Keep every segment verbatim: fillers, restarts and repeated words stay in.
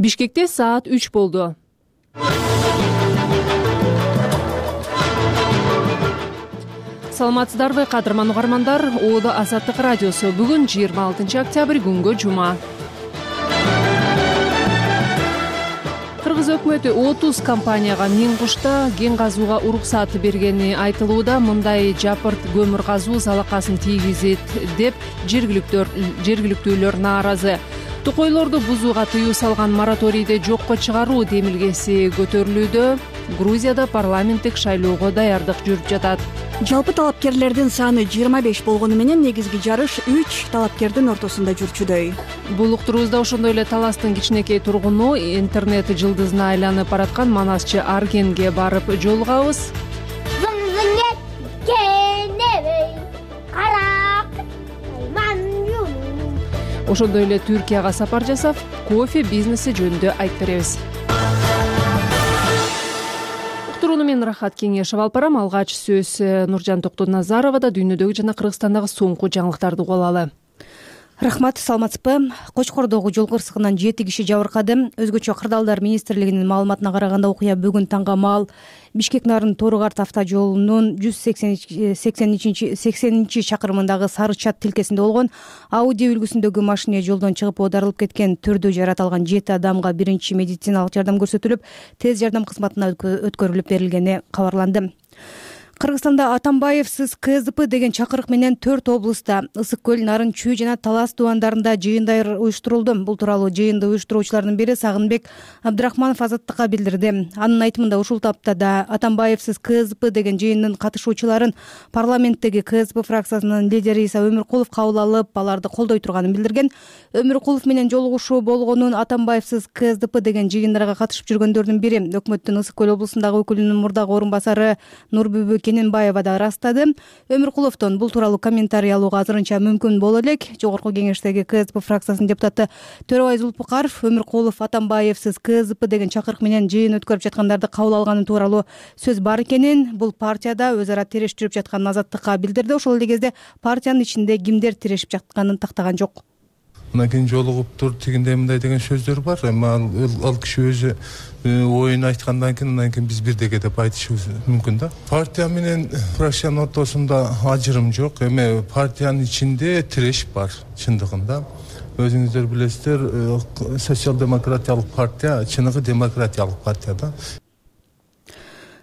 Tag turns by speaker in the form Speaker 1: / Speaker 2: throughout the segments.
Speaker 1: Бишкекте саат үч болду. Саламатсыздарбы, кадырман угармандар? Оодо Азаттык радиосу. Бүгүн жыйырма алтынчы октябрь күнгө жума. Кыргыз өкмөтү отуз компанияга миң кушта кен казууга уруксат бергени айтылууда. Мындай жапырт көмүр казуу залакасын тийгизет деп жергиликтүүлөр нааразы. Тукойлорду бузууга тыюу салган мораторийди жокко чыгаруу демилгеси көтөрүлүүдө. Грузияда парламенттик шайлоого даярдык жүрүп жатат.
Speaker 2: Жалпы талапкерлердин саны жыйырма беш болгону менен негизги жарыш үч талапкердин ортосунда жүрчүдөй.
Speaker 1: Бул уктуруубузда ошондой эле Таластын кичинекей тургуну, интернет жылдызына айланып бараткан манасчы Аргенге барып жолугабыз. Ошондой эле Түркияга сапар жасап, кофе бизнеси жөнүндө айтып беребиз. Уктурууну мен Рахат Кеңешев алып барам. Алгач сөз Нуржан Токтоназаровада дүйнөдөгү жана Кыргызстандагы соңку жаңылыктарды угуп алалы.
Speaker 3: Рахмат, саламатсызбы? Кочкордогу жол кырсыгынан жети киши жабыркады. Өзгөчө Кырдаалдар министрлигинин маалыматына караганда окуя бүгүн таңга маал Бишкек Нарын Тору-Карт автожолунун жүз сексенинчи чакырымындагы Сары Чат тилкесинде болгон. Ауди үлгүсүндөгү машине жолдон чыгып оодарылып кеткен. Түрдө жарат алган жети адамга биринчи медициналык жардам көрсөтүлүп, тез жардам кызматына өткөрүлүп берилгени кабарланды. Кыргызстанда Атамбаевсиз КСДП деген чакырык менен төрт облуста Ысык көл, Нарын, Чүй жана Талас дубандарында жыйындар уюштурулду. Бул тууралуу жыйынды уюштуруучулардын бири Сагынбек Абдрахманов Азаттыкка билдирди. Анын айтымында ушул таптада Атамбаевсиз КСДП деген жыйындын катышуучуларын парламенттеги КСДП фракциясынын лидери Иса Өмүркулов кабыл алып, аларды колдой турганын билдирген. Өмүркулов менен жолугушуу болгонун Атамбаевсиз КСДП деген жыйындарга катышып жүргөндөрдүн бири өкмөттүн Ысык көл облусундагы өкүлүнүн мурдагы орун басары Нурбүбү Кененбаева да ырастады. Өмүркуловдон бул тууралуу комментарий алууга азырынча мүмкүн боло элек. Жогорку кеңештеги КСДП фракциясынын депутаты Төрөбай Зулпукаров Өмүркулов Атамбаевсиз КСДП деген чакырык менен жыйын өткөрүп жаткандарды кабыл алганы тууралуу сөз бар экенин, бул партияда өз ара тирештирип жатканын Азаттыкка билдирди. Ошол эле кезде партиянын ичинде кимдер тирешип жатканын тактаган жок.
Speaker 4: Мына кийин жолугуптур, тигиндей мындай деген сөздөр бар. Эми ал киши өзү оюн айткандан кийин андан кийин биз бирдеге деп айтышыбыз мүмкүн да. Партия менен фракциянын ортосунда ажырым жок. Эми партиянын ичинде тиреш бар чындыгында. Өзүңүздөр билесиздер, социал-демократиялык партия чыныгы демократиялык партия да.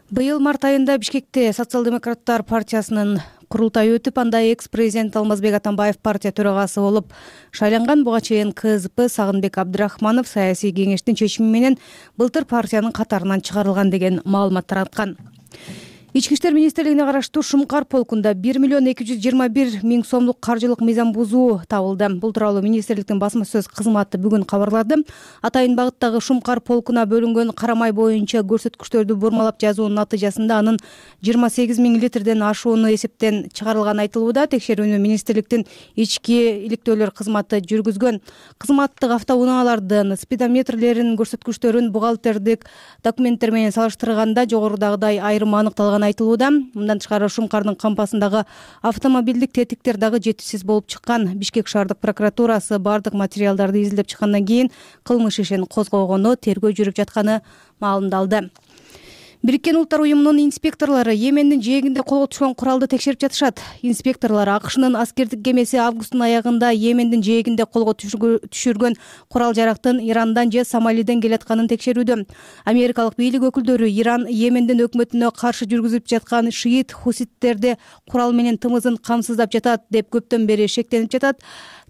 Speaker 3: Быйыл март айында Бишкекте социал-демократтар партиясынын курултайы өтүп, анда экс-президент Алмазбек Атамбаев партия төрагасы болуп шайланган. Буга чейин КСДП Сагынбек Абдрахманов саясий кеңештин чечими менен былтыр партиянын катарынан чыгарылган деген маалымат тараткан. Ички иштер министрлигине караштуу Шумкар полкунда бир миллион эки жүз жыйырма бир миң сомдук каржылык мыйзам бузуу табылды. Бул тууралуу министрликтин басма сөз кызматы бүгүн кабарлады. Атайын багыттагы Шумкар полкуна бөлүнгөн карамай боюнча көрсөткүчтөрдү бурмалап жазуунун натыйжасында анын жыйырма сегиз миң литрден ашууну эсептен чыгарылганы айтылууда. Текшерүүнү министрликтин ички иликтөөлөр кызматы жүргүзгөн. Кызматтык автоунаалардын спидометрлеринин көрсөткүчтөрүн бухгалтердик документтер менен салыштырганда жогорудагыдай айрым аныкталган айтылууда. Мындан тышкары Шумкардын кампасындагы автомобилдик тетиктер дагы жетишсиз болуп чыккан. Бишкек шаардык прокуратурасы бардык материалдарды изилдеп чыккандан кийин кылмыш ишин козгогону, тергөө жүрүп жатканы маалымдалды. Бириккен Улуттар уюмунун инспекторлору Йемендин жээгинде колго түшкөн куралды текшерип жатышат. Инспекторлор АКШнын аскердик кемеси августтун аягында Йемендин жээгинде колго түшүргөн курал жарактын Ирандан же Сомалиден келатканын текшерүүдө. Америкалык бийлик өкүлдөрү Иран Йемендин өкмөтүнө каршы жүргүзүп жаткан шиит хуситтерди курал менен тымызын камсыздап жатат деп көптөн бери шектенип жатат.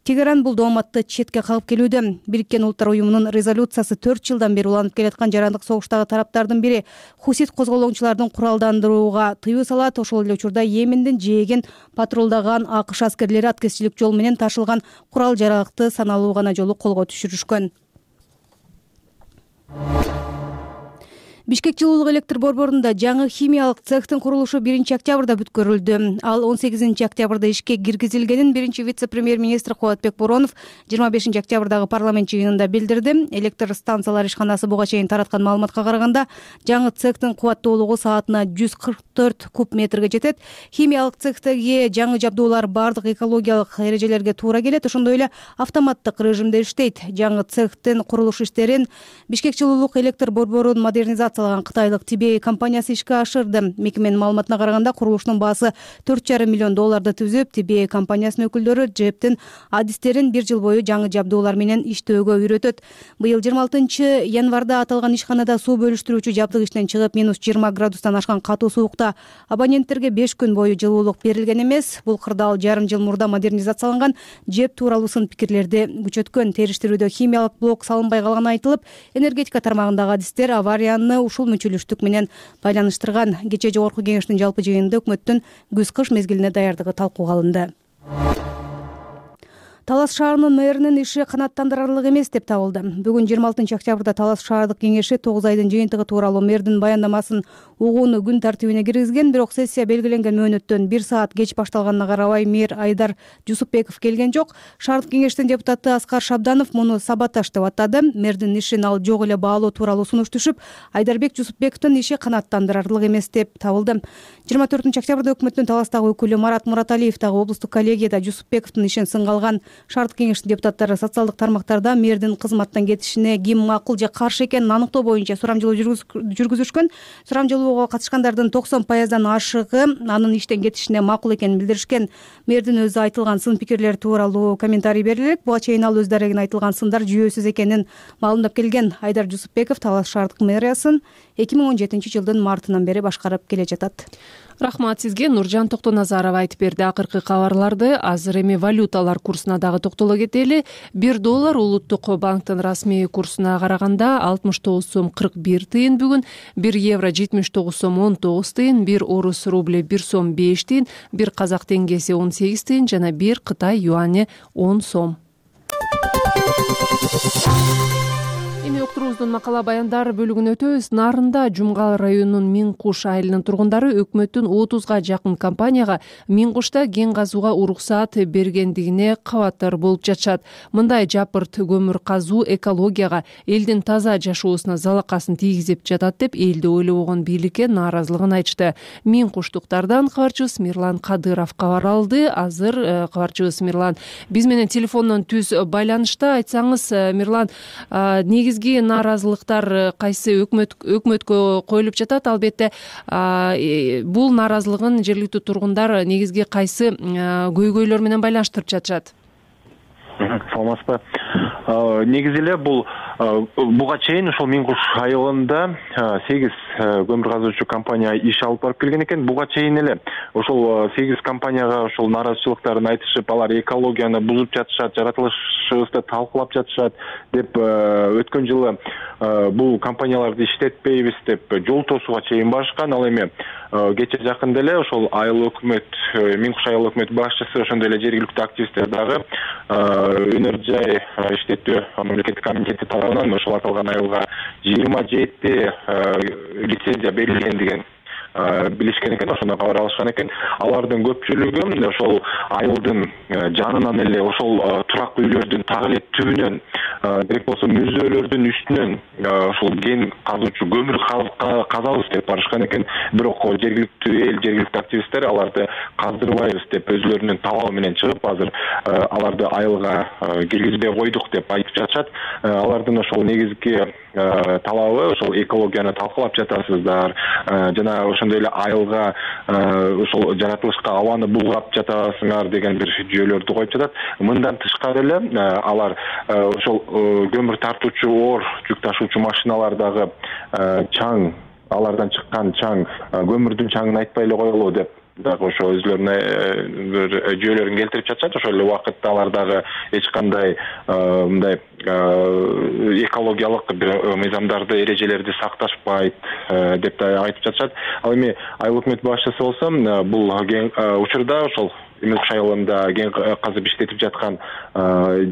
Speaker 3: Тегеран бул дооматты четке кагып келүүдө. Бириккен Улуттар уюмунун резолюциясы төрт жылдан бери уланып келаткан жарандык согуштагы тараптардын бири хусит козголоочулардын куралдандырууга тыюу салат. Ошол эле учурда Йемендин жээгин патрулдаган АКШ аскерлери аткезчилик жол менен ташылган курал жаракты саналуу гана жолу колго түшүрүшкөн. Бишкек жылуулук электр борборунда жаңы химиялык цехтин курулушу биринчи октябрда бүткөрүлдү. Ал он сегизинчи октябрда ишке киргизилгенин биринчи вице-премьер-министр Кубатбек Боронов жыйырма бешинчи октябрдагы парламент жыйынында билдирди. Электр станциялар ишканасы буга чейин тараткан маалыматка караганда, жаңы цехтин кубаттуулугу саатына жүз кырк төрт куб метрге жетет. Химиялык цехтеги жаңы жабдуулар бардык экологиялык эрежелерге туура келет, ошондой эле автоматтык режимде иштейт. Жаңы цехтин курулуш иштерин Бишкек жылуулук электр борборун модернизациялаган кытайлык Ти Би Эй компаниясы ишке ашырды. Мекеменин маалыматына караганда, курулуштун баасы төрт жарым миллион долларды түзүп, Ти Би Эй компаниясынын өкүлдөрү ЖЭПтин адистерин бир жыл бою жаңы жабдуулар менен иштөөгө үйрөтөт. Быйыл жыйырма алтынчы январда аталган ишканада суу бөлүштүрүүчү жабдык иштен чыгып, минус жыйырма градустан ашкан катуу суукта абоненттерге беш күн бою жылуулук берилген эмес. Бул кырдаал жарым жыл мурда модернизацияланган ЖЭП тууралуу сын пикирлерди күчөткөн. Териштирүүдө химиялык блок салынбай калганы айтылып, энергетика тармагындагы адистер аварияны ушул мүчүлүштүк менен байланыштырган. Кечээ жогорку кеңештин жалпы жыйынында өкмөттүн күз-кыш мезгилине даярдыгы талкууга алынды. Талас шаарынын мэринин иши канааттандырарлык эмес деп табылды. Бүгүн жыйырма алтынчы октябрда Талас шаардык кеңеши тогуз айдын жыйынтыгы тууралуу мэрдин баяндамасын угууну күн тартибине киргизген, бирок сессия белгиленген мөөнөттөн бир саат кеч башталганына карабай мэр Айдар Жусупбеков келген жок. Шаардык кеңештин депутаты Аскар Шабданов муну саботаж деп атады. Мэрдин ишин ал жок эле баалоо тууралуу сунуш түшүп, Айдарбек Жусупбековдун иши канааттандырарлык эмес деп табылды. жыйырма төртүнчү октябрда өкмөттүн Таластагы өкүлү Марат Мураталиев дагы облустук коллегияда Жусупбековдун ишин сынга алган. Шаардык кеңештин депутаттары социалдык тармактарда мэрдин кызматтан кетишине ким макул же каршы экенин аныктоо боюнча сурамжылоо жүргүзүшкөн. Сурамжылоого катышкандардын токсон пайыздан ашыгы анын иштен кетишине макул экенин билдиришкен. Мэрдин өзү айтылган сын пикирлер тууралуу комментарий берди элек. Буга чейин ал өз дарегин айтылган сындар жүйөсүз экенин маалымдап келген. Айдар Жусупбеков Талас шаардык мэриясын эки миң он жетинчи жылдын мартынан бери башкарып келе жатат.
Speaker 1: Рахмат сизге. Нуржан Токтоназарова айтып берди. Акыркы кабарларды азыр эми валюталар курсуна дагы токтоло кетели. бир доллар улуттук банктын расмий курсуна караганда алтымыш тогуз сом кырк бир тыйын бүгүн, бир евро жетимиш тогуз сом он тогуз тыйын, бир орус рубли бир сом беш тыйын, бир казак теңгеси он сегиз тыйын жана бир Кытай юани он сом. Эми уктуруубуздун макала баяндар бөлүгүнө өтөбүз. Нарында Жумгал районунун Миң Куш айылынын тургундары өкмөттүн отузга жакын компанияга Миң Кушта кен казууга уруксаат бергендигине кабаттар болуп жатышат. Мындай жапырт көмүр казуу экологияга, элдин таза жашоосуна залакасын тийгизип жатат деп элди ойлобогон бийликке нааразылыгын айтышты. Миң Куштуктардан кабарчыбыз Мирлан Кадыров кабар алды. Азыр кабарчыбыз Мирлан биз менен телефондон түз байланышта. Айтсаңыз, Мирлан, негизги нааразылыктар кайсы өкмөт өкмөткө коюлуп жатат? Албетте бул нааразылыгын жергиликтүү тургундар негизги кайсы көйгөйлөр менен байланыштырып жатышат?
Speaker 5: Саламатсызбы. Негизи эле бул буга чейин ошол Миң Куш айылында сегиз көмүр казуучу компания иш алып барып келген экен. Буга чейин эле ошол сегиз компанияга ошол нааразычылыктарын айтышып, алар экологияны бузуп жатышат, жаратылышыбызды талкуулап жатышат деп өткөн жылы бул компанияларды иштетпейбиз деп жол тосууга чейин барышкан. Ал эми кече жакында эле ошол айыл өкмөт, Миң Куш айыл өкмөт башчысы, ошондой эле жергиликтүү активисттер дагы өнөр жай иштетүү мамлекеттик комитети тарабынан ошол аталган айылга жыйырма жети лицензия берилген деген билишкен экен, ошондо кабар алышкан экен. Алардын көпчүлүгү ошол айылдын жанынан эле ошол турак үйлөрдүн так эле түбүнөн, керек болсо мүзөөлөрдүн үстүнөн ошол кен казуучу көмүр казабыз деп барышкан экен. Бирок жергиликтүү эл, жергиликтүү активисттер аларды каздырбайбыз деп өзлөрүнүн талабы менен чыгып, азыр аларды айылга киргизбей койдук деп айтып жатышат. Алардын ошол негизги талабы ошол экологияны талкуулап жатасыздар, жана ошондой эле айылга ошол жаратылышка абаны булгап жатасыңар деген бир жүйөлөрдү коюп жатат. Мындан тышкары эле алар ошол көмүр тартуучу оор жүк ташуучу машиналардагы чаң, алардан чыккан чаң, көмүрдүн чаңын айтпай эле коелу деп дагы ошо өзлөрүнө бир жүйөлөрүн келтирип жатышат. Ошол эле убакытта алар дагы эч кандай мындай экологиялык бир мыйзамдарды, эрежелерди сакташпайт деп да айтып жатышат. Ал эми айыл өкмөт башчысы болсо бул учурда ошол Миң Куш айылында кен казып иштетип жаткан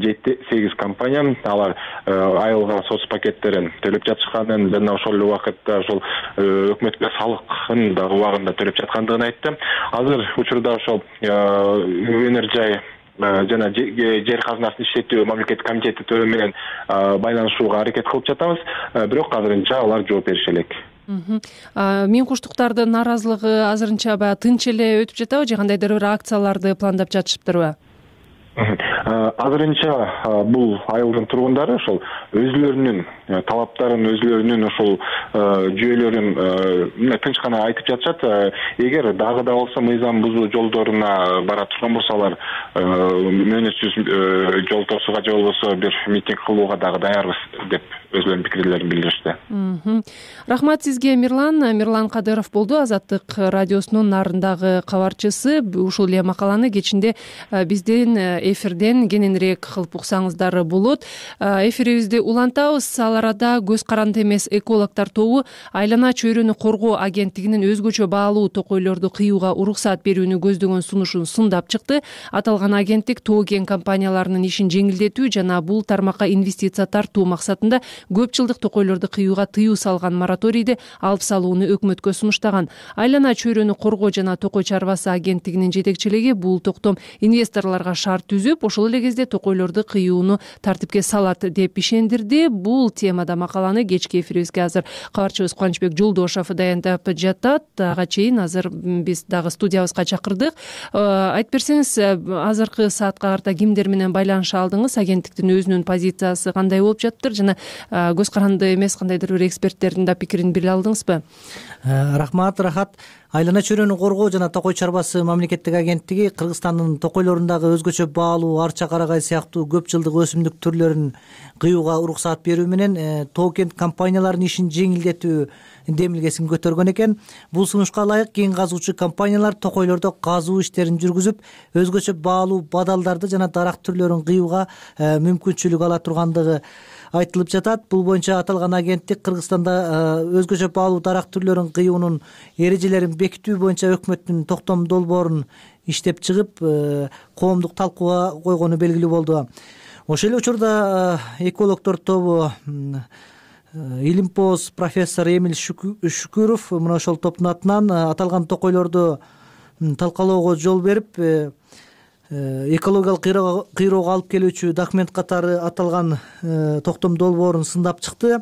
Speaker 5: жети сегиз компания алар айылга соц пакеттерин төлөп жатышканын жана ошол эле убакытта ошол өкмөткө салыкын дагы убагында төлөп жаткандыгын айтты. Азыр учурда ошол өнөр жай жана жер казынасын иштетүү мамлекеттик комитети тобу менен байланышууга аракет кылып жатабыз. Бирок азырынча алар жооп берише элек.
Speaker 1: Миң Куштуктардын нааразылыгы азырынча баягы тынч эле өтүп жатабы же кандайдыр бир акцияларды пландап жатышыптырбы?
Speaker 5: Азырынча бул айылдын тургундары ошол өзүлөрүнүн талаптарын, өзүлөрүнүн ошол жүйөлөрүн тынч гана айтып жатышат. Эгер дагы да болсо мыйзам бузуу жолдоруна бара турган болсолар, мөөнөтсүз жол тосууга же болбосо бир митинг кылууга дагы даярбыз деп өзүлөрүнүн пикирлерин билдиришти.
Speaker 1: Рахмат сизге, Мирлан. Мирлан Кадыров болду, Азаттык радиосунун нарындагы кабарчысы. Ушул эле макаланы кечинде биздин эфирден кененирээк кылып уксаңыздар болот. Эфирибизди улантабыз. Ал арада көз каранды эмес экологдор тобу айлана чөйрөнү коргоо агенттигинин өзгөчө баалуу токойлорду кыюуга уруксаат берүүнү көздөгөн сунушун сындап чыкты. Аталган агенттик тоо кен компанияларынын ишин жеңилдетүү жана бул тармакка инвестиция тартуу максатында көп жылдык токойлорду кыюуга тыюу салган мораторийди алып салууну өкмөткө сунуштаган. Айлана чөйрөнү коргоо жана токой чарбасы агенттигинин жетекчилиги бул токтом инвесторлорго шарт түзүп, ошол эле кезде токойлорду кыюуну тартипке салат деп ишендирди. Бул темада макаланы кечки эфирибизге азыр кабарчыбыз Кубанычбек Жолдошов даярдап жатат. Ага чейин азыр биз дагы студиябызга чакырдык. Айтып берсеңиз, азыркы саатка карата кимдер менен байланыша алдыңыз? Агенттиктин өзүнүн позициясы кандай болуп жатыптыр жана көз каранды эмес кандайдыр бир эксперттердин да пикирин биле алдыңызбы?
Speaker 6: Рахмат, рахат. Айлана чөйрөнү коргоо жана токой чарбасы мамлекеттик агенттиги Кыргызстандын токойлорундагы өзгөчө баалуу арча карагай сыяктуу көп жылдык өсүмдүк түрлөрүн кыюуга уруксаат берүү менен тоо кен компанияларынын ишин жеңилдетүү демилгесин көтөргөн экен. Бул сунушка ылайык кен казуучу компаниялар токойлордо казуу иштерин жүргүзүп, өзгөчө баалуу бадалдарды жана дарак түрлөрүн кыюуга мүмкүнчүлүк ала тургандыгы айтылып жатат. Бул боюнча аталган агенттик Кыргызстанда өзгөчө баалуу дарак түрлөрүн кыюунун эрежелерин бекитүү боюнча өкмөттүн токтом долбоорун иштеп чыгып, коомдук талкууга койгону белгилүү болду. Ошол эле учурда экологдор тобу Илимпоз профессор Эмиль Шүкүров мына ошол топтун атынан аталган токойлорду талкалоого жол берип, экологиялык кыйроого алып келүүчү документ катары аталган токтом долбоорун сындап чыкты.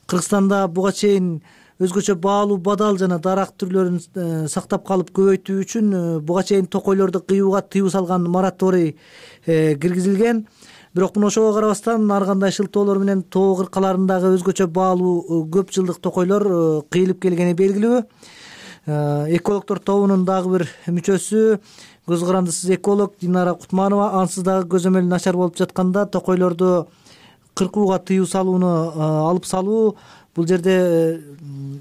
Speaker 6: Кыргызстанда буга чейин өзгөчө баалуу бадал жана дарак түрлөрүн сактап калып көбөйтүү үчүн буга чейин токойлорду кыюуга тыюу салган мораторий киргизилген. Бирок мына ошого карабастан ар кандай шылтоолор менен тоо кыркаларындагы өзгөчө баалуу көп жылдык токойлор кыйылып келгени белгилүү. Экологдор тобунун дагы бир мүчөсү, көз карандысыз эколог Динара Кутманова, ансыз дагы көзөмөл начар болуп жатканда токойлорду кыркууга тыюу салууну алып салуу бул жерде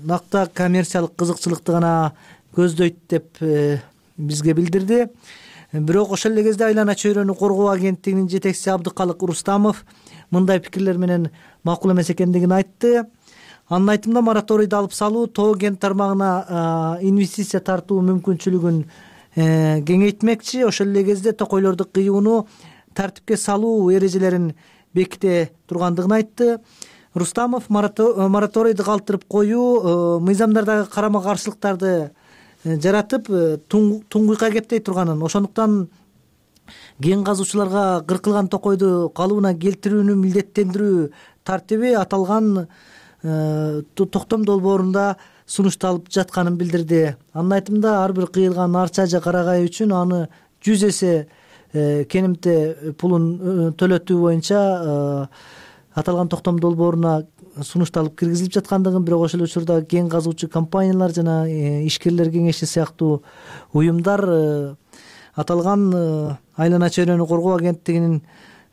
Speaker 6: накта коммерциялык кызыкчылыкты гана көздөйт деп бизге билдирди. Бирок ошол эле кезде айлана чөйрөнү коргоо агенттигинин жетекчиси Абдыкалык Рустамов мындай пикирлер менен макул эмес экендигин айтты. Анын айтымында мораторийди алып салуу тоо кен тармагына инвестиция тартуу мүмкүнчүлүгүн кеңейтмекчи. Ошол эле кезде токойлорду кыюуну тартипке салуу эрежелерин беките тургандыгын айтты. Рустамов мораторийди калтырып коюу мыйзамдардагы карама каршылыктарды жаратып туңгуйка кептей турганын, ошондуктан кен казуучуларга кыркылган токойду калыбына келтирүүнү милдеттендирүү тартиби аталган токтом долбоорунда сунушталып жатканын билдирди. Анын айтымында ар бир кыйылган арча же карагай үчүн аны жүз эсе кенемте пулун төлөтүү боюнча аталган токтом долбооруна сунушталып киргизилип жаткандыгын, бирок ошол учурда кен казуучу компаниялар жана ишкерлер кеңеши сыяктуу уюмдар аталган айлана чөйрөнү коргоо агенттигинин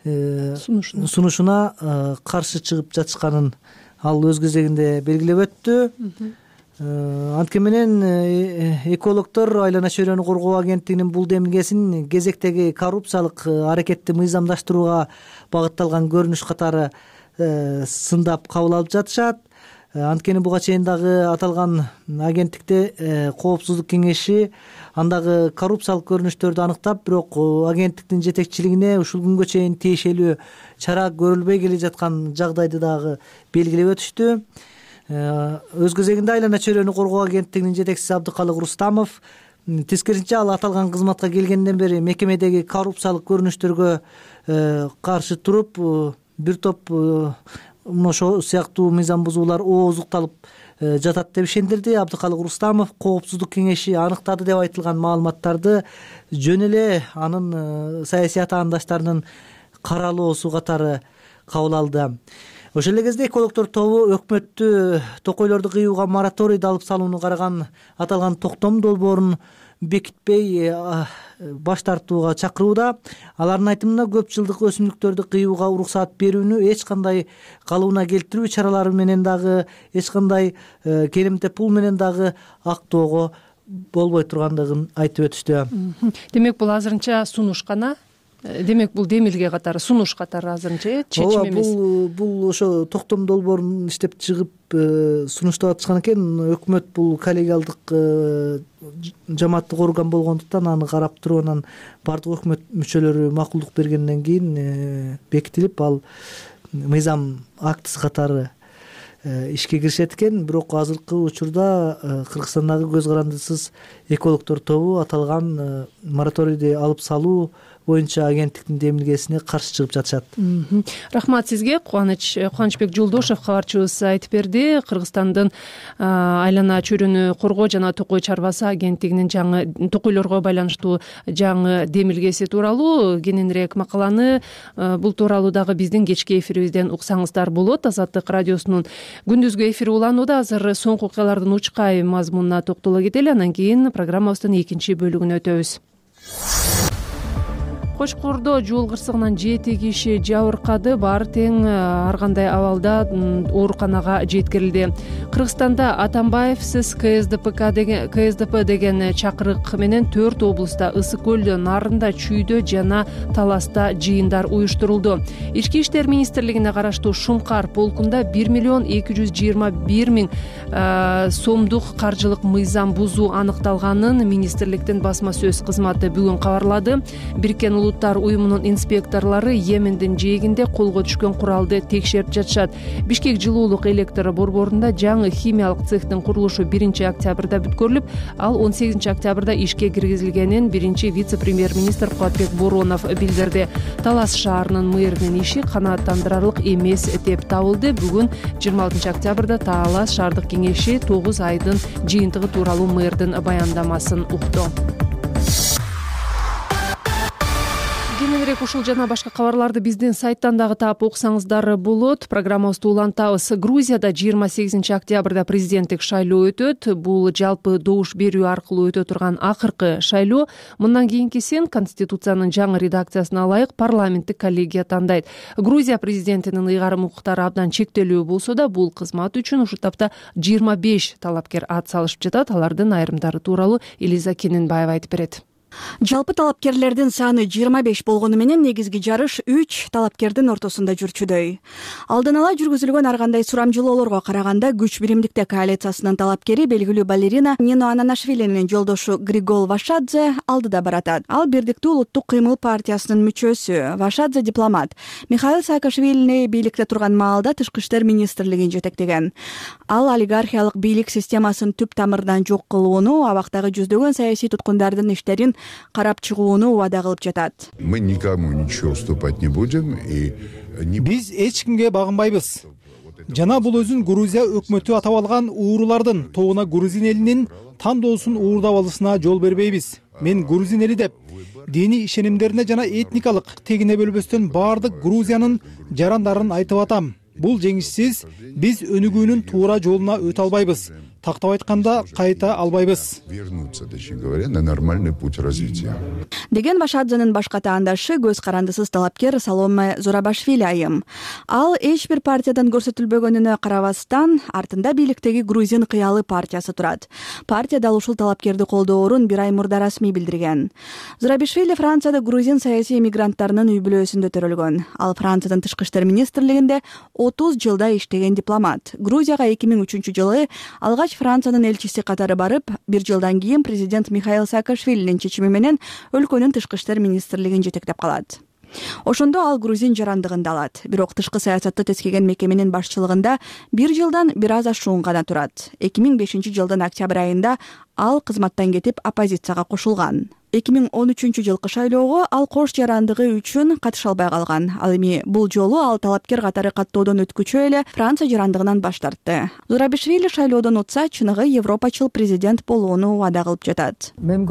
Speaker 6: сунушуна каршы чыгып жатышканын ал өз кезегинде белгилеп өттү. Анткени менен экологдор айлана чөйрөнү коргоо агенттигинин бул демилгесин кезектеги коррупциялык аракетти мыйзамдаштырууга багытталган көрүнүш катары сындап кабыл алып жатышат. анткени буга чейин дагы аталган агенттикте коопсуздук кеңеши андагы коррупциялык көрүнүштөрдү аныктап, бирок агенттиктин жетекчилигине ушул күнгө чейин тиешелүү чара көрүлбөй келе жаткан жагдайды дагы белгилеп өтүштү. Өз кезегинде Айлана чөйрөнү коргоо агенттигинин жетекчиси Абдыкалык Рустамов тескерисинче ал аталган кызматка келгенден бери мекемедеги коррупциялык көрүнүштөргө каршы туруп, бир топ ошол сыяктуу мыйзам бузуулар ооздукталып жатат деп ишендирди. Абдыкалык Рустамов коопсуздук кеңеши аныктады деп айтылган маалыматтарды жөн эле анын саясий атаандаштарынын каралоосу катары кабыл алды. Ошол эле кезде экологдор тобу өкмөттү токойлорду кыюуга мораторийди алып салууну караган аталган токтом долбоорун бекитпей баш тартууга чакырууда. Алардын айтымында көп жылдык өсүмдүктөрдү кыюуга уруксаат берүүнү эч кандай калыбына келтирүү чаралары менен дагы, эч кандай келимте пул менен дагы актоого болбой тургандыгын айтып өтүштү.
Speaker 1: Демек бул азырынча сунуш гана. Демек бул демилге катары, сунуш катары азырынча чечим эмес.
Speaker 6: Бул бул ошо токтом долбоорун иштеп чыгып сунуштап атышкан экен. Өкмөт бул коллегиалдык жамааттык орган болгондуктан аны карап туруп, анан бардык өкмөт мүчөлөрү макулдук бергенден кийин бекитилип, ал мыйзам актысы катары ишке киришет экен. Бирок азыркы учурда Кыргызстандагы көз карандысыз экологдор тобу аталган мораторийди алып салуу боюнча агенттиктин демилгесине каршы чыгып жатышат.
Speaker 1: Рахмат сизге. Кубаныч Кубанычбек Жолдошев кабарчыбыз айтып берди. Кыргызстандын Айлана чөйрөнү коргоо жана токой чарбасы агенттигинин жаңы токойлорго байланыштуу жаңы демилгеси тууралуу кененирээк макаланы бул тууралуу дагы биздин кечки эфирибизден уксаңыздар болот. Азаттык радиосунун күндүзгү эфири уланууда. Азыр соңку окуялардын учкай мазмунуна токтоло кетели, анан кийин программабыздын экинчи бөлүгүнө өтөбүз. Кочкордо жол кырсыгынан жети киши жабыркады. Баары тең ар кандай абалда ооруканага жеткирилди. Кыргызстанда Атамбаевсиз КСДП деген КСДП деген чакырык менен төрт облустта Ысык көл, Нарында, Чүйдө жана Таласта жыйындар уюштурулду. Ички иштер министрлигине караштуу Шумкар полкунда бир миллион эки жүз жыйырма бир миң сомдук каржылык мыйзам бузуу аныкталганын министрликтин басма сөз кызматы бүгүн кабарлады. Бириккен Улуттар уюмунун инспекторлору Йемендин жээгинде колго түшкөн куралды текшерип жатышат. Бишкек жылуулук электр борборунда жаңы химиялык цехтин курулушу биринчи октябрда бүткөрүлүп, ал он сегизинчи октябрда ишке киргизилгенин биринчи вице-премьер-министр Кубатбек Боронов билдирди. Талас шаарынын мэринин иши канааттандырарлык эмес деп табылды. Бүгүн жыйырма алтынчы октябрда Талас шаардык кеңеши тогуз айдын жыйынтыгы тууралуу мэрдин баяндамасын укту. Кененирээк ушул жана башка кабарларды биздин сайттан дагы таап окусаңыздар болот. Программабызды улантабыз. Грузияда жыйырма сегизинчи октябрда президенттик шайлоо өтөт. Бул жалпы добуш берүү аркылуу өтө турган акыркы шайлоо. Мындан кийинкисин Конституциянын жаңы редакциясына ылайык парламенттик коллегия тандайт. Грузия президентинин ыйгарым укуктары абдан чектелүү болсо да, бул кызмат үчүн ушул тапта жыйырма беш талапкер ат салышып жатат. Алардын айрымдары тууралуу Элиза Кененбаева айтып берет.
Speaker 2: Жалпы талапкерлердин саны жыйырма беш болгону менен негизги жарыш үч талапкердин ортосунда жүрчүдөй. Алдын ала жүргүзүлгөн ар кандай сурамжылоолорго караганда күч биримдикте коалициясынын талапкери белгилүү балерина Нино Ананашвилинин жолдошу Григол Вашадзе алдыда баратат. Ал Бирдиктүү улуттук кыймыл партиясынын мүчөсү. Вашадзе дипломат. Михаил Саакашвилини бийликте турган маалда тышкы иштер министрлигин жетектеген. Ал олигархиялык бийлик системасын түп тамырдан жок кылууну, абактагы жүздөгөн саясий туткундардын иштерин карап чыгууну убада кылып жатат.
Speaker 7: Мы никому ничего уступать не будем и
Speaker 8: биз эч кимге багынбайбыз. Жана бул өзүн Грузия өкмөтү атап алган уурулардын тобуна грузин элинин тандоосун уурдап алышына жол бербейбиз. Мен грузин эли деп диний ишенимдерине жана этникалык тегине бөлбөстөн баардык Грузиянын жарандарын айтып атам. Бул жеңишсиз биз өнүгүүнүн туура жолуна өтө албайбыз. тактап айтканда кайта албайбыз.
Speaker 7: Вернуться, точнее говоря, на нормальный путь развития.
Speaker 2: Деген Башадзанын башка таандашы көз карандысыз талапкер Саломе Зурабашвили айым. Ал эч бир партиядан көрсөтүлбөгөнүнө карабастан артында бийликтеги Грузин кыялы партиясы турат. Партия дал ушул талапкерди колдоорун бир ай мурда расмий билдирген. Зурабашвили Францияда грузин саясий мигранттарынын үй бүлөсүндө төрөлгөн. Ал Франциянын тышкы иштер министрлигинде отуз жылда иштеген дипломат. Грузияга эки миң үчүнчү жылы алгач Франциянын элчиси катары барып, бир жылдан кийин президент Михаил Саакашвилинин чечими менен өлкөнүн тышкы иштер министрлигин жетектеп калат. Ошондо ал грузин жарандыгында алат. Бирок тышкы саясатты тескеген мекеменин башчылыгында бир жылдан бир аз ашуун гана турат. эки миң бешинчи жылдын октябрь айында ал кызматтан кетип оппозицияга кошулган. эки миң он үчүнчү жылкы шайлоого ал кош жарандыгы үчүн катыша албай калган. Ал эми бул жолу ал талапкер катары каттоодон өткүчө эле Франция жарандыгынан баш тартты. Зурабашвили шайлоодон утса, чыныгы европачыл президент болууну убада кылып жатат.
Speaker 9: Менин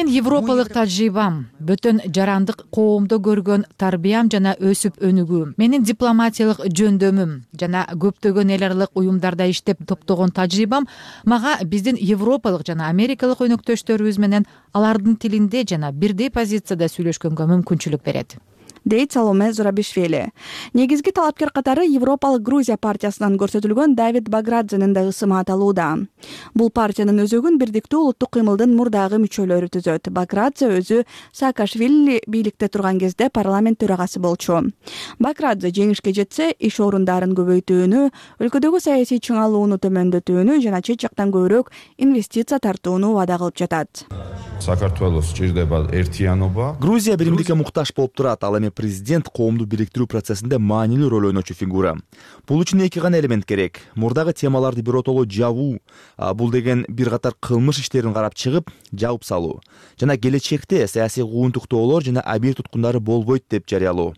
Speaker 9: европалык тажрыйбам, бөтөн жарандык коомдо көргөн тарбиям жана өсүп өнүгүүм, менин дипломатиялык жөндөмүм жана көптөгөн эл аралык уюмдарда иштеп топтогон тажрыйбам мага биздин европалык жана америкалык өнөктөштөрүбүз менен алардын тилинде жана бирдей позицияда сүйлөшкөнгө мүмкүнчүлүк берет,
Speaker 2: дейт Саломе Зурабашвили. Негизги талапкер катары Европалык Грузия партиясынан көрсөтүлгөн Давид Баградзенин да ысымы аталууда. Бул партиянын өзөгүн бирдиктүү улуттук кыймылдын мурдагы мүчөлөрү түзөт. Баградзе өзү Саакашвили бийликте турган кезде парламент төрагасы болчу. Баградзе жеңишке жетсе, иш орундарын көбөйтүүнү, өлкөдөгү саясий чыңалууну төмөндөтүүнү жана чет жактан көбүрөөк инвестиция тартууну убада кылып жатат.
Speaker 10: Грузия биримдикке муктаж болуп турат. Ал эми президент коомду бириктирүү процессинде маанилүү роль ойночу фигура. Бул үчүн эки гана элемент керек. Мурдагы темаларды биротоло жабуу, бул деген бир катар кылмыш иштерин карап чыгып, жабып салуу жана келечекте саясий куугунтуктоолор жана объект туткундары болбойт деп жарыялоо.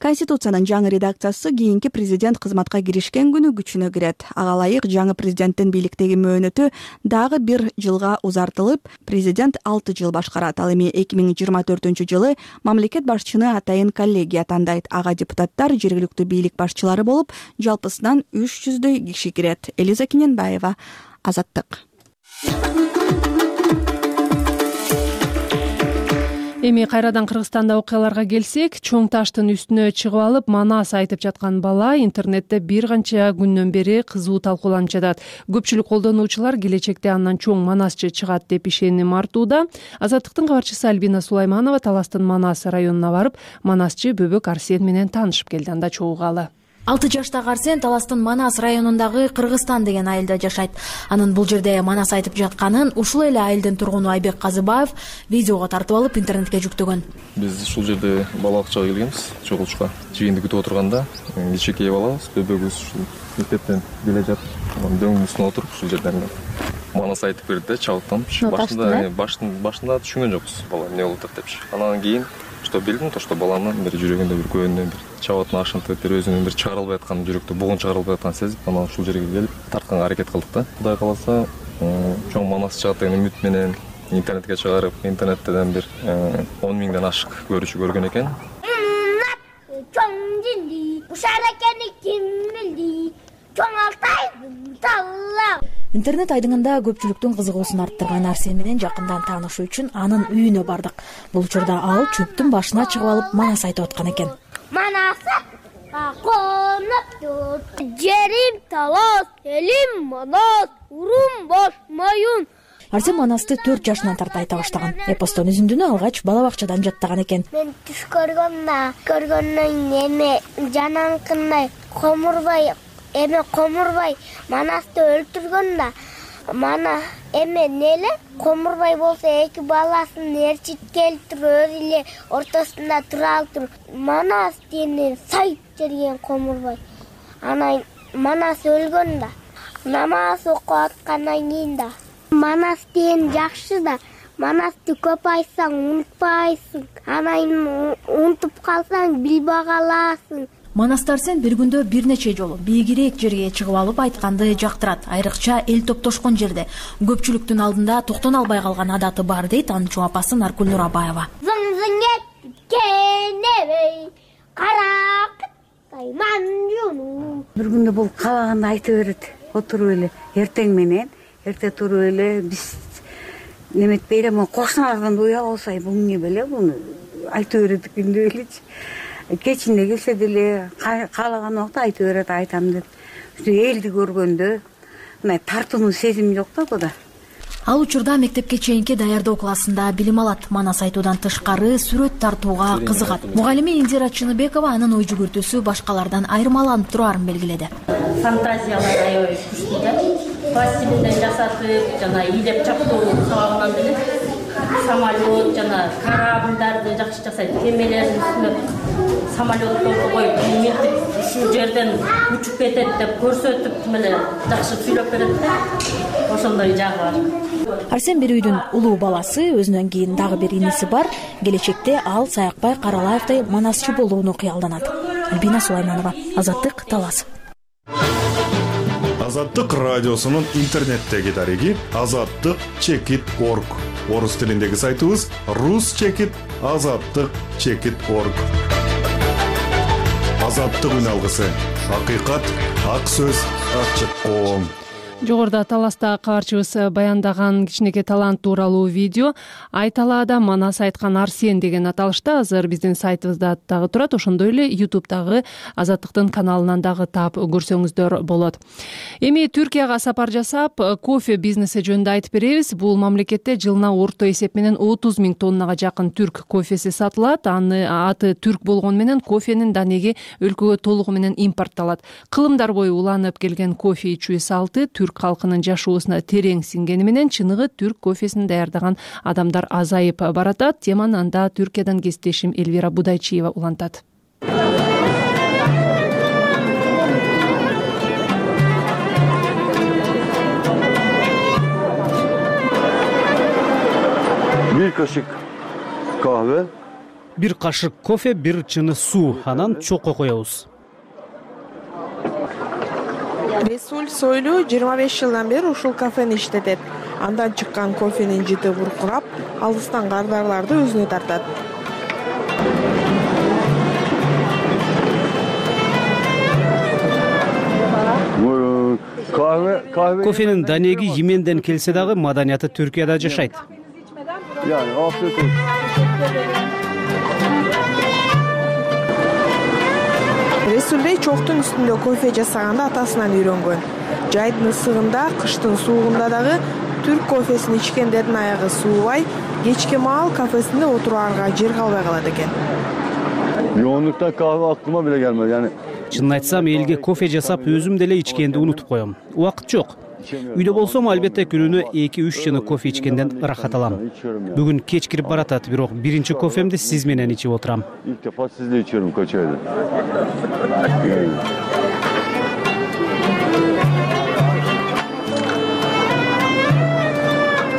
Speaker 2: Конституциянын жаңы редакциясы кийинки президент кызматка киришкен күнү күчүнө кирет. Ага ылайык жаңы президенттин бийликтеги мөөнөтү дагы бир жылга узартылып, президент алты жыл башкарат. Ал эми эки миң жыйырма төртүнчү жылы мамлекет башчыны атайын коллегия тандайт. Ага депутаттар жергиликтүү бийлик башчылары болуп, жалпысынан үч жүздөй киши кирет. Элиза Киненбаева, Азаттык.
Speaker 1: Эми кайрадан Кыргызстанда окуяларга келсек, чоң таштын үстүнө чыгып алып манас айтып жаткан бала интернетте бир канча күндөн бери кызуу талкууланып жатат. Көпчүлүк колдонуучулар келечекте андан чоң манасчы чыгат деп ишеним артууда. Азаттыктын кабарчысы Альбина Сулайманова Таластын Манас районуна барып, манасчы Бөбөк Арсен менен таанышып келди. Анда чогулгалы.
Speaker 11: алты жаштагы Арсен Таластын Манас районундагы Кыргызстан деген айылда жашайт. Анын бул жерде манас айтып жатканын ушул эле айылдын тургуну Айбек Казыбаев видеого тартып алып интернетке жүктөгөн.
Speaker 12: Биз ушул жерде балалыкчага келгенбиз, чогулушка. Жыйынды күтүп отурганда кичинекей балабыз, бөбөгүбүз ушул мектептен келе жатып, дөңнүн үстүнө отуруп ушул жерден манас айтып берди да, чабыттанып. Башында башында башында түшүнгөн жокпуз, бала эмне болуп атат депчи. Анан кийин что билдим, то что баланын бир жүрөгүндө бир көөнүнөн бир чабатын ашынтып, бир өзүнүн бир чыгара албай аткан жүрөктө бугун чыгара албай атканын сезип, анан ушул жерге келип тартканга аракет кылдык да. Кудай кааласа, чоң манас чыгат деген үмүт менен интернетке чыгарып, интернеттен бир он миңден ашык көрүүчү көргөн экен.
Speaker 13: Чоң жинди, ушар экени ким билди? Чоң Алтайдын талла.
Speaker 11: Интернет айдыңында көпчүлүктүн кызыгуусун арттырган Арсен менен жакындан таанышуу үчүн анын үйүнө бардык. Бул учурда ал чөптүн башына чыгып алып манас айтып аткан экен.
Speaker 13: Манасы коноптур, жерим талас, элим манас, урум бош моюн.
Speaker 11: Арсен манасты төрт жашынан тарта айта баштаган. Эпостон үзүндүнү алгач бала бакчадан жаттаган экен.
Speaker 13: Мен түш көргөндө, көргөндөн эме жананкындай комурбай эме комурбай манасты өлтүргөн да, мана эме неле комурбай болсо эки баласын ээрчип келтирип өзү эле ортосунда тура алып, манас дени сайып жерген комурбай. Анан манас өлгөн да, намаз окуп аткандан кийин да. Манас деген жакшы да, манасты көп айтсаң унутпайсың, анан унутуп калсаң билбей каласың.
Speaker 11: Манасты Арсен бир күндө бир нече жолу бийигирээк жерге чыгып алып айтканды жактырат. Айрыкча эл топтошкон жерде көпчүлүктүн алдында токтоно албай калган адаты бар дейт анын чоң апасы Наркүл Нурабаева.
Speaker 13: Зың-зың этип кенебей, каракыттай манжуну,
Speaker 14: Бир күндө бул каалаганды айтып берет. Отуруп эле эртең менен, эрте туруп эле биз неметпей эле могу кошуналардан уяп алсай бул эмне беле, буну айтып берет күндө элечи. Кечинде келсе деле каалаган убакта айтып берет, айтам деп. Элди көргөндө мына тартууну сезим жок да буда.
Speaker 11: Ал учурда мектепке чейинки даярдоо классында билим алат. Манас айтуудан тышкары сүрөт тартууга кызыгат. Мугалими Индира Чыныбекова анын ой жүгүртүүсү башкалардан айырмаланып тураарын белгиледи.
Speaker 15: Фантазиялар аябай күчтүү да. Пластилинден жасатып, жана ийдеп чаптоо сабагынан деле самолет жана корабльдарды жакшы жасайт. Кемелердин үстүнө самолетторду коюп, мынтип ушул жерден учуп кетет деп көрсөтүп, меле жакшы сүйлөп берет да. Ошондой жагы бар.
Speaker 11: Арсен бир үйдүн улуу баласы, өзүнөн кийин дагы бир иниси бар. Келечекте ал Саякбай Каралаевдей манасчы болууну кыялданат. Альбина Сулайманова, Азаттык, Талас.
Speaker 16: Азаттык радиосунун интернеттеги дареги азаттык чекит точка орг. Орус тилиндеги сайтыбыз рус чекит азаттык чекит точка орг. Азаттык үн алгысы. Акыйкат, ак сөз, ачык коом.
Speaker 1: Жогоруда Таласта кабарчыбыз баяндаган кичинекей талант тууралуу видео Айталаада манас айткан Арсен деген аталышта азыр биздин сайтыбызда дагы турат. Ошондой эле ютубтагы Азаттыктын каналынан дагы таап көрсөңүздөр болот. Эми Түркияга сапар жасап, кофе бизнеси жөнүндө айтып беребиз. Бул мамлекетте жылына орто эсеп менен отуз миң тоннага жакын түрк кофеси сатылат. Аны аты түрк болгону менен кофенин данеги өлкөгө толугу менен импортталат. Кылымдар бою уланып келген кофе ичүү салты түрк калкынын жашоосуна терең сиңгени менен чыныгы түрк кофесин даярдаган адамдар азайып баратат. Теманы анда Түркиядан кесиптешим Элвира Будайчиева улантат.
Speaker 17: Бир кашык kahve,
Speaker 18: бир кашык кофе, бир чыны суу, анан чокко коебуз.
Speaker 19: Ресуль Сойлу жыйырма беш жылдан бери ушул кафени иштетет. Андан чыккан кофенин жыты буркурап, алыстан кардарларды өзүнө тартат.
Speaker 18: Кофенин данеги Йеменден келсе дагы маданияты Түркияда жашайт.
Speaker 19: Ресулбей чоктун үстүндө кофе жасаганды атасынан үйрөнгөн. Жайдын ысыгында, кыштын суугунда дагы түрк кофесин ичкендердин аягы суубай, кечке маал кафесинде отураарга жер калбай калат экен.
Speaker 17: Yoğunluktan kahve aklıma bile gelmedi. Yani
Speaker 18: чынын айтсам, элге кофе жасап өзүм деле ичкенди унутуп коем. Убакыт жок. Үйдө болсом, албетте күнүнө эки үч чыны кофе ичкенден ырахат алам. Бүгүн кеч кирип баратат, бирок биринчи кофемди сиз менен ичип отурам.
Speaker 17: İlk defa sizle içiyorum kaç aydır.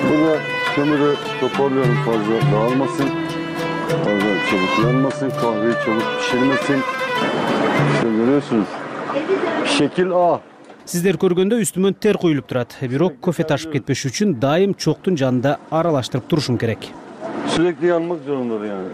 Speaker 17: Burada kömürü toparlıyorum fazla dağılmasın. Fazla çabuk yanmasın, kahveyi çabuk pişirmesin. İşte görüyorsunuz. Şekil A.
Speaker 18: Сиздер көргөндө үстүмөн тер куюлуп турат. Бирок кофе ташып кетпеш үчүн дайым чоктун жанында аралаштырып турушум керек.
Speaker 17: Sürekli yanmak zorundadır yani.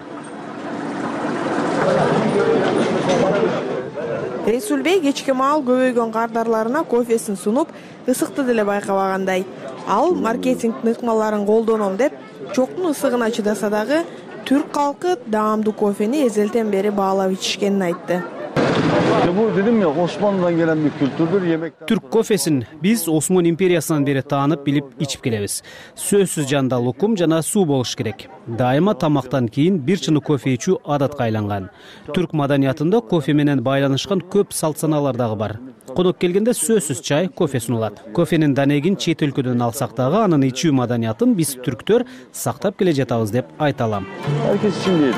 Speaker 19: Ресулбей кечке маал көбөйгөн кардарларына кофесин сунуп, ысыкты деле байкабагандай. Ал маркетингдин ыкмаларын колдоном деп, чоктун ысыгына чыдаса дагы, түрк калкы даамдуу кофени эзелтен бери баалап ичишкенин айтты.
Speaker 17: Bu dedim ya Osmanlı'dan gelen bir kültürdür. Yemek
Speaker 18: Türk кофесин биз Осман империясынан бери таанып билип ичип келебиз. Сөзсүз жанда лукум жана суу болуш керек. Дайыма тамактан кийин бир чыны кофе ичүү адатка айланган. Түрк маданиятында кофе менен байланышкан көп салт санаалар дагы бар. Конок келгенде сөзсүз чай, кофе сунулат. Кофенин данегин чет өлкөдөн алсак дагы анын ичүү маданиятын биз түрктөр сактап келе жатабыз деп айта алам.
Speaker 17: Herkes için değil.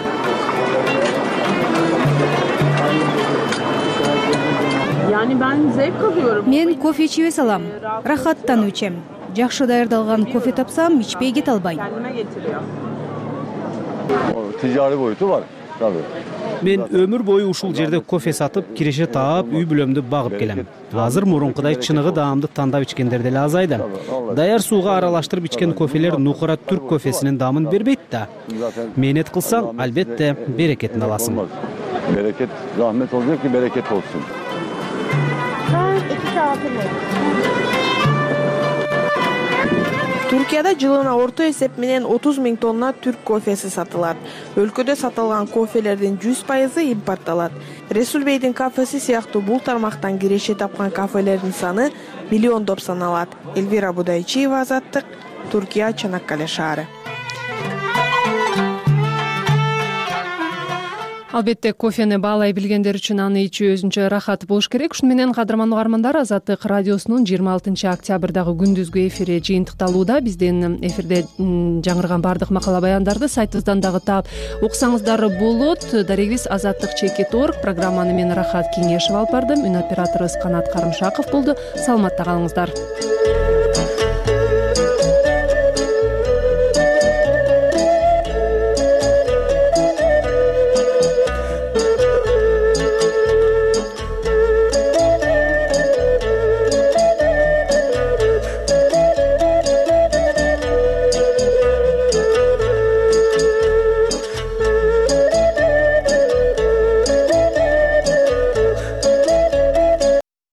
Speaker 3: Yani ben zevk alıyorum. Мен кофе ичип эс алам. Рахаттанып ичем. Жакшы даярдалган кофе тапсам, ичпей кете албайм.
Speaker 17: Ticari boyutu var. Tabii.
Speaker 18: Мен өмүр бою ушул жерде кофе сатып, киреше таап, үй бүлөмдү багып келем. Азыр мурункудай чыныгы даамды тандап ичкендер деле азайды. Даяр сууга аралаштырып ичкен кофелер нукура түрк кофесинин даамын бербейт да. Мээнет кылсаң, албетте берекетин аласың.
Speaker 17: Bereket, rahmet olacak ki bereket olsun.
Speaker 19: Туркияда жылына орто эсеп менен отуз миң тонна түрк кофеси сатылат. Өлкөдө сатылган кофелердин жүз пайызы импортталат. Ресул Бейдин кафеси сыяктуу бул тармактан киреше тапкан кафелердин саны миллиондоп саналат. Элвира Будайчиева, Азаттык, Туркия, Чанаккале шаары.
Speaker 1: Албетте, кофени баалай билгендер үчүн аны ичүү өзүнчө рахат болуш керек. Ушуну менен кадырман угармандар, Азаттык радиосунун жыйырма алтынчы октябрдагы күндүзгү эфири жыйынтыкталууда. Бизден эфирде жаңырган баардык макала баяндарды сайтыбыздан дагы таап окусаңыздар болот. Дарегибиз азаттык чекит точка орг. Программаны мен Рахат Кеңешева алып бардым. Үн операторубуз Канат Карымшаков болду. Саламатта калыңыздар.